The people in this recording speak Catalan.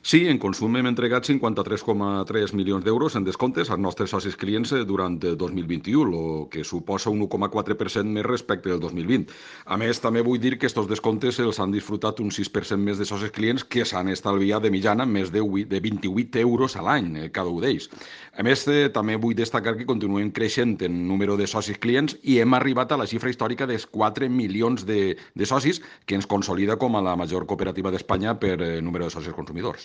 Sí, en consum hem entregat 53,3 milions d'euros en descomptes als nostres socis clients durant 2021, el que suposa un 1,4% més respecte del 2020. A més, també vull dir que aquests descomptes els han disfrutat un 6% més de socis clients que s'han estalviat de mitjana més de 28 euros a l'any, cada un d'ells. A més, també vull destacar que continuem creixent en número de socis clients i hem arribat a la xifra històrica dels 4 milions de socis, que ens consolida com a la major cooperativa d'Espanya per número de socis consumidors.